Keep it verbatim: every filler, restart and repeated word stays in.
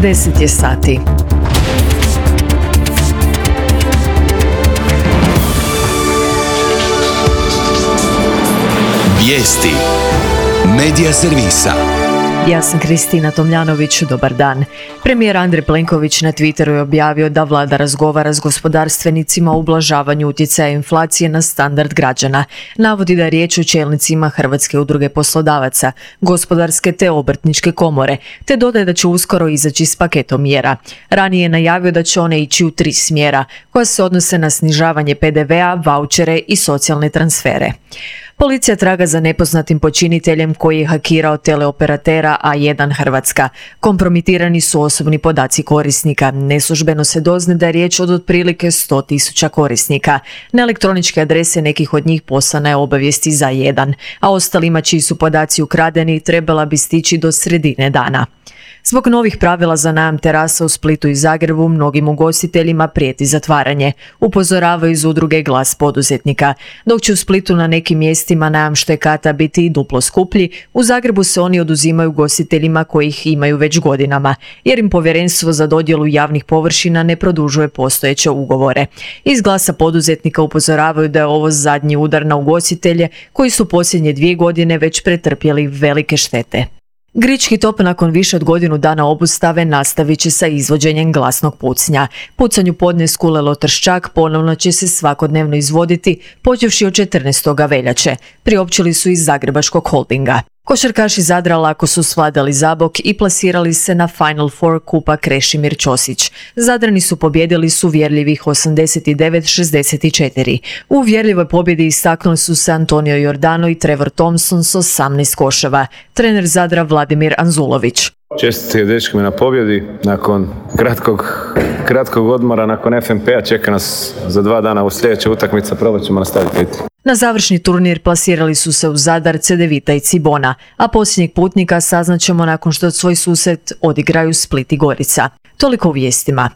deset je sati. Vijesti Medija servisa. Ja sam Kristina Tomljanović, dobar dan. Premijer Andrej Plenković na Twitteru je objavio da vlada razgovara s gospodarstvenicima o ublažavanju utjecaja inflacije na standard građana. Navodi da je riječ o čelnicima Hrvatske udruge poslodavaca, gospodarske te obrtničke komore, te dodaje da će uskoro izaći s paketom mjera. Ranije je najavio da će one ići u tri smjera, koja se odnose na snižavanje pe de ve a, vaučere i socijalne transfere. Policija traga za nepoznatim počiniteljem koji je hakirao teleoperatera A jedan Hrvatska. Kompromitirani su osobni podaci korisnika. Neslužbeno se dozna da je riječ od otprilike sto tisuća korisnika. Na elektroničke adrese nekih od njih poslana je obavijesti za jedan, a ostalima čiji su podaci ukradeni trebala bi stići do sredine dana. Zbog novih pravila za najam terasa u Splitu i Zagrebu mnogim ugostiteljima prijeti zatvaranje, upozoravaju iz udruge Glas poduzetnika. Dok će u Splitu na nekim mjestima najam štekata biti i duplo skuplji, u Zagrebu se oni oduzimaju ugostiteljima koji ih imaju već godinama, jer im povjerenstvo za dodjelu javnih površina ne produžuje postojeće ugovore. Iz Glasa poduzetnika upozoravaju da je ovo zadnji udar na ugostitelje koji su posljednje dvije godine već pretrpjeli velike štete. Grički top nakon više od godinu dana obustave nastavit će sa izvođenjem glasnog pucnja. Pucanju podne s Kulelo Trščak ponovno će se svakodnevno izvoditi, počevši od četrnaestog veljače, priopćili su iz Zagrebačkog holdinga. Košarkaši Zadra lako su svladali Zabok i plasirali se na Final Four kupa Krešimir Ćosić. Zadrani su pobjedili s uvjerljivih osamdeset devet šezdeset četiri. U uvjerljivoj pobjedi istaknuli su se Antonio Jordano i Trevor Thompson s osamnaest koševa. Trener Zadra Vladimir Anzulović. Čestitke dečkima na pobjedi. Nakon kratkog, kratkog odmora, nakon ef em pe a čeka nas za dva dana u sljedeća utakmica, probat ćemo nastaviti. Na završni turnir plasirali su se u Zadar, Cedevita i Cibona, a posljednjeg putnika saznaćemo nakon što svoj susret odigraju Split i Gorica. Toliko u vijestima.